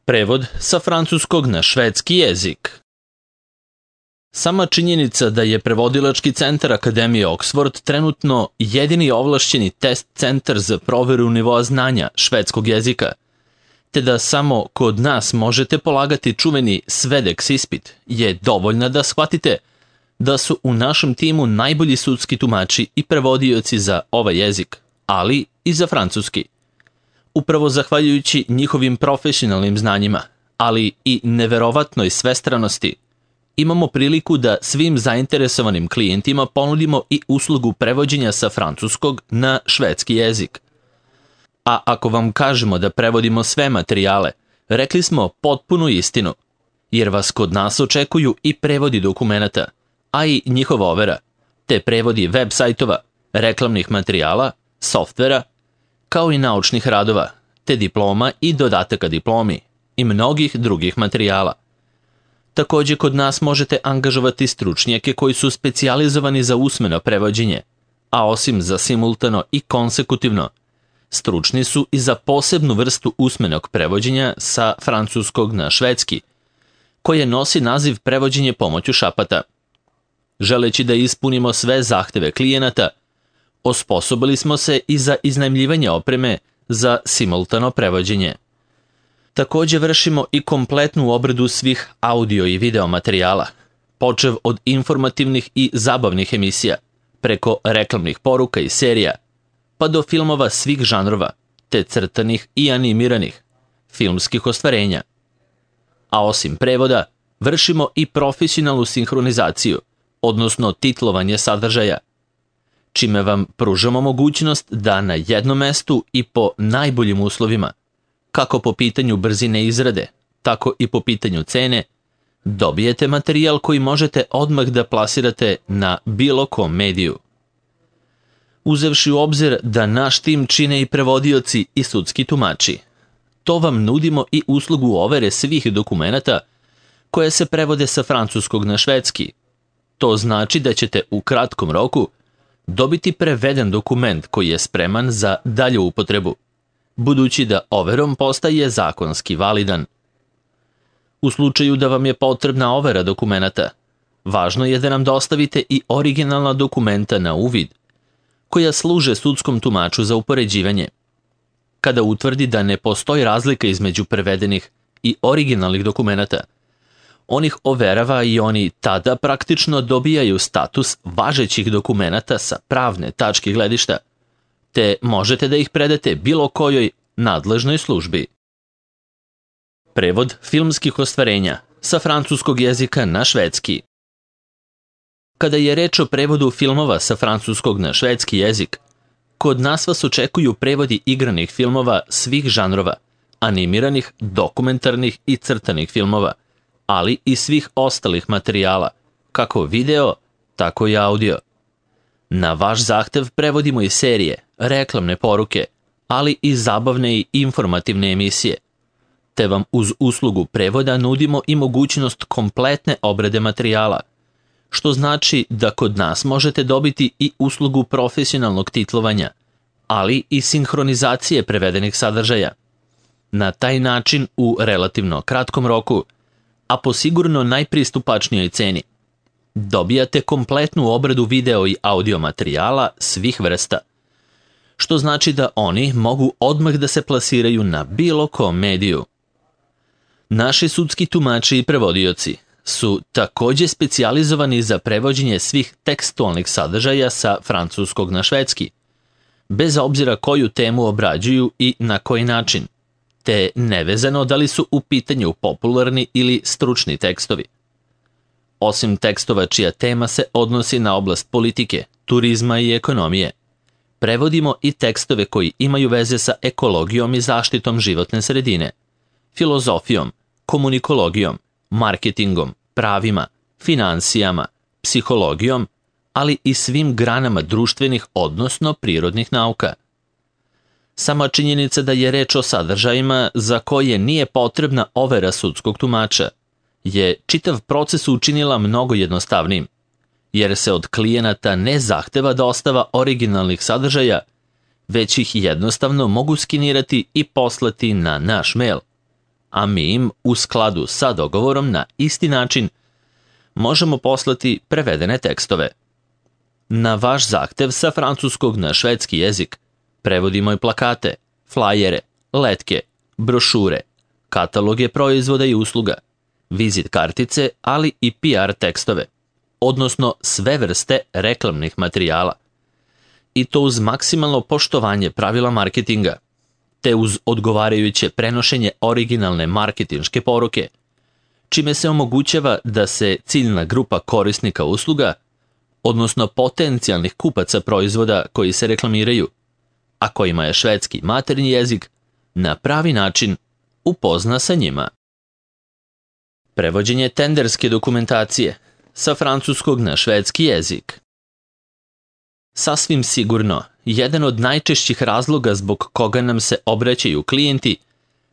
Prevod sa francuskog na švedski jezik. Sama činjenica da je Prevodilački centar Akademije Oxford trenutno jedini ovlašćeni test centar za proveru nivoa znanja švedskog jezika, te da samo kod nas možete polagati čuveni Svedex ispit, je dovoljna da shvatite da su u našem timu najbolji sudski tumači i prevodioci za ovaj jezik, ali i za francuski. Upravo zahvaljujući njihovim profesionalnim znanjima, ali i neverovatnoj svestranosti, imamo priliku da svim zainteresovanim klijentima ponudimo i uslugu prevođenja sa francuskog na švedski jezik. A ako vam kažemo da prevodimo sve materijale, rekli smo potpunu istinu, jer vas kod nas očekuju i prevodi dokumenata, a i njihova overa, te prevodi web sajtova, reklamnih materijala, softvera, kao i naučnih radova, te diploma i dodataka diplomi i mnogih drugih materijala. Takođe, kod nas možete angažovati stručnjake koji su specijalizovani za usmeno prevođenje, a osim za simultano i konsekutivno, stručni su i za posebnu vrstu usmenog prevođenja sa francuskog na švedski, koje nosi naziv prevođenje pomoću šapata. Želeći da ispunimo sve zahteve klijenata, osposobili smo se i za iznajmljivanje opreme za simultano prevođenje. Takođe vršimo i kompletnu obradu svih audio i video materijala, počev od informativnih i zabavnih emisija, preko reklamnih poruka i serija, pa do filmova svih žanrova, te crtanih i animiranih, filmskih ostvarenja. A osim prevoda, vršimo i profesionalnu sinhronizaciju, odnosno titlovanje sadržaja, čime vam pružamo mogućnost da na jednom mestu i po najboljim uslovima, kako po pitanju brzine izrade, tako i po pitanju cene, dobijete materijal koji možete odmah da plasirate na bilo kom mediju. Uzevši u obzir da naš tim čine i prevodioci i sudski tumači, to vam nudimo i uslugu overe svih dokumenata koje se prevode sa francuskog na švedski. To znači da ćete u kratkom roku dobiti preveden dokument koji je spreman za dalju upotrebu, budući da overom postaje zakonski validan. U slučaju da vam je potrebna overa dokumenata, važno je da nam dostavite i originalna dokumenta na uvid, koja služe sudskom tumaču za upoređivanje. Kada utvrdi da ne postoji razlika između prevedenih i originalnih dokumenata, on ih overava i oni tada praktično dobijaju status važećih dokumenata sa pravne tačke gledišta, te možete da ih predate bilo kojoj nadležnoj službi. Prevod filmskih ostvarenja sa francuskog jezika na švedski. Kada je reč o prevodu filmova sa francuskog na švedski jezik, kod nas vas očekuju prevodi igranih filmova svih žanrova, animiranih, dokumentarnih i crtanih filmova, ali i svih ostalih materijala, kako video, tako i audio. Na vaš zahtev prevodimo i serije, reklamne poruke, ali i zabavne i informativne emisije, te vam uz uslugu prevoda nudimo i mogućnost kompletne obrade materijala, što znači da kod nas možete dobiti i uslugu profesionalnog titlovanja, ali i sinhronizacije prevedenih sadržaja. Na taj način u relativno kratkom roku, a po sigurno najpristupačnijoj ceni, dobijate kompletnu obradu video i audio materijala svih vrsta, što znači da oni mogu odmah da se plasiraju na bilo kom mediju. Naši sudski tumači i prevodioci su takođe specijalizovani za prevođenje svih tekstualnih sadržaja sa francuskog na švedski, bez obzira koju temu obrađuju i na koji način, te nevezano da li su u pitanju popularni ili stručni tekstovi. Osim tekstova čija tema se odnosi na oblast politike, turizma i ekonomije, prevodimo i tekstove koji imaju veze sa ekologijom i zaštitom životne sredine, filozofijom, komunikologijom, marketingom, pravima, finansijama, psihologijom, ali i svim granama društvenih, odnosno prirodnih nauka. Sama činjenica da je reč o sadržajima za koje nije potrebna overa sudskog tumača je čitav proces učinila mnogo jednostavnijim, jer se od klijenata ne zahteva dostava originalnih sadržaja, već ih jednostavno mogu skinirati i poslati na naš mail, a mi im, u skladu sa dogovorom na isti način, možemo poslati prevedene tekstove. Na vaš zahtev sa francuskog na švedski jezik prevodimo i plakate, flajere, letke, brošure, kataloge proizvoda i usluga, vizit kartice, ali i PR tekstove, odnosno sve vrste reklamnih materijala. I to uz maksimalno poštovanje pravila marketinga, te uz odgovarajuće prenošenje originalne marketinške poruke, čime se omogućava da se ciljna grupa korisnika usluga, odnosno potencijalnih kupaca proizvoda koji se reklamiraju, a kojima je švedski maternji jezik, na pravi način upozna sa njima. Prevođenje tenderske dokumentacije sa francuskog na švedski jezik. Sasvim sigurno, jedan od najčešćih razloga zbog koga nam se obraćaju klijenti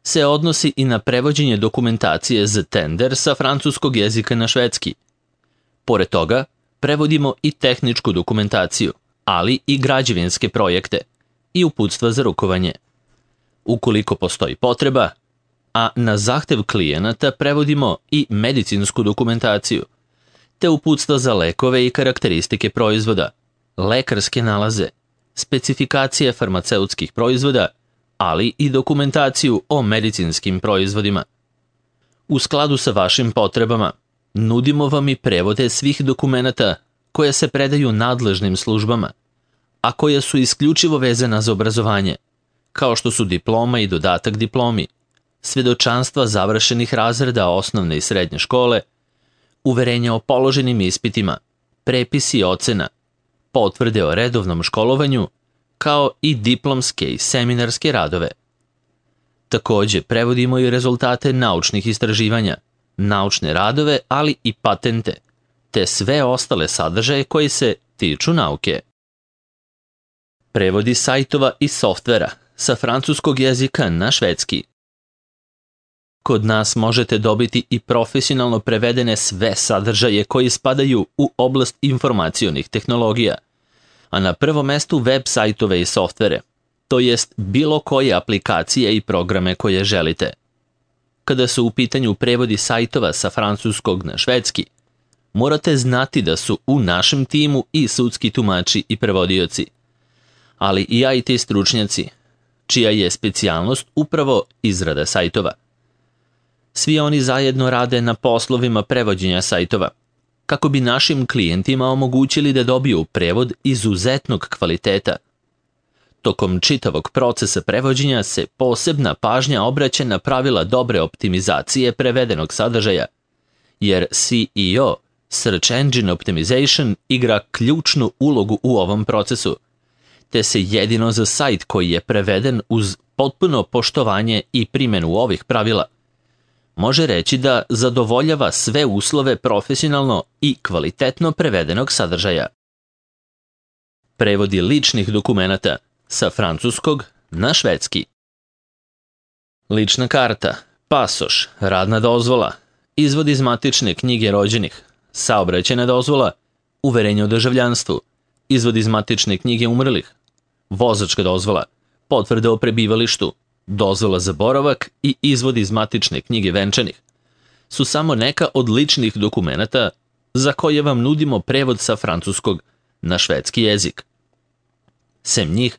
se odnosi i na prevođenje dokumentacije za tender sa francuskog jezika na švedski. Pored toga, prevodimo i tehničku dokumentaciju, ali i građevinske projekte i uputstva za rukovanje. Ukoliko postoji potreba, a na zahtev klijenata prevodimo i medicinsku dokumentaciju, te uputstva za lekove i karakteristike proizvoda, lekarske nalaze, specifikacije farmaceutskih proizvoda, ali i dokumentaciju o medicinskim proizvodima. U skladu sa vašim potrebama, nudimo vam i prevode svih dokumenata koje se predaju nadležnim službama, a koje su isključivo vezana za obrazovanje, kao što su diploma i dodatak diplomi, svedočanstva završenih razreda osnovne i srednje škole, uverenja o položenim ispitima, prepisi ocena, potvrde o redovnom školovanju, kao i diplomske i seminarske radove. Takođe, prevodimo i rezultate naučnih istraživanja, naučne radove, ali i patente, te sve ostale sadržaje koji se tiču nauke. Prevodi sajtova i softvera sa francuskog jezika na švedski. Kod nas možete dobiti i profesionalno prevedene sve sadržaje koji spadaju u oblast informacionih tehnologija, a na prvom mestu web sajtove i softvere, to jest bilo koje aplikacije i programe koje želite. Kada su u pitanju prevodi sajtova sa francuskog na švedski, morate znati da su u našem timu i sudski tumači i prevodioci, ali i IT stručnjaci, čija je specijalnost upravo izrada sajtova. Svi oni zajedno rade na poslovima prevođenja sajtova, kako bi našim klijentima omogućili da dobiju prevod izuzetnog kvaliteta. Tokom čitavog procesa prevođenja se posebna pažnja obraća na pravila dobre optimizacije prevedenog sadržaja, jer SEO, Search Engine Optimization, igra ključnu ulogu u ovom procesu, te se jedino za sajt koji je preveden uz potpuno poštovanje i primjenu ovih pravila može reći da zadovoljava sve uslove profesionalno i kvalitetno prevedenog sadržaja. Prevodi ličnih dokumenata sa francuskog na švedski. Lična karta, pasoš, radna dozvola, izvod iz matične knjige rođenih, saobraćajna dozvola, uverenje o državljanstvu, izvod iz matične knjige umrlih, vozačka dozvola, potvrda o prebivalištu, dozvola za boravak i izvod iz matične knjige venčanih su samo neka od ličnih dokumenata za koje vam nudimo prevod sa francuskog na švedski jezik. Sem njih,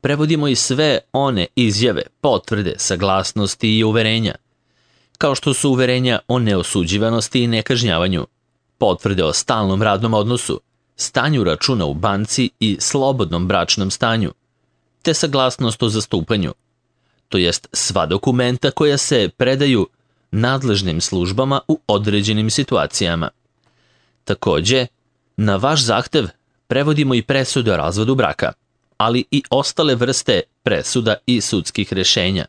prevodimo i sve one izjave, potvrde, saglasnosti i uverenja, kao što su uverenja o neosuđivanosti i nekažnjavanju, potvrde o stalnom radnom odnosu, stanju računa u banci i slobodnom bračnom stanju, te saglasnost o zastupanju, to jest sva dokumenta koja se predaju nadležnim službama u određenim situacijama. Takođe, na vaš zahtev prevodimo i presudu o razvodu braka, ali i ostale vrste presuda i sudskih rešenja,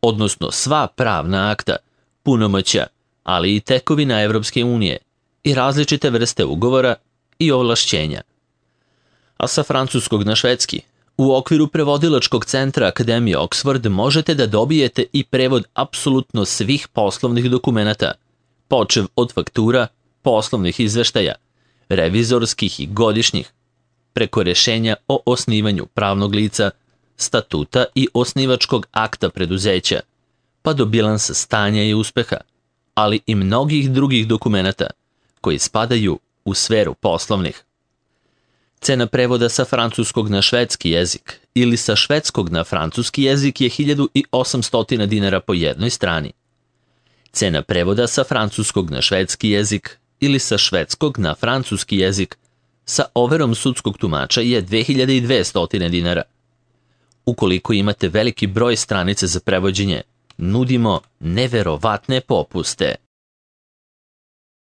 odnosno sva pravna akta, punomoćja, ali i tekovina Evropske unije i različite vrste ugovora i ovlašćenja. A sa francuskog na švedski, u okviru prevodilačkog centra Akademije Oxford možete da dobijete i prevod apsolutno svih poslovnih dokumenata, počev od faktura, poslovnih izveštaja, revizorskih i godišnjih, preko rešenja o osnivanju pravnog lica, statuta i osnivačkog akta preduzeća, pa do bilansa stanja i uspeha, ali i mnogih drugih dokumenata koji spadaju u sferu poslovnih. Cena prevoda sa francuskog na švedski jezik ili sa švedskog na francuski jezik je 1800 dinara po jednoj strani. Cena prevoda sa francuskog na švedski jezik ili sa švedskog na francuski jezik sa overom sudskog tumača je 2200 dinara. Ukoliko imate veliki broj stranica za prevođenje, nudimo neverovatne popuste.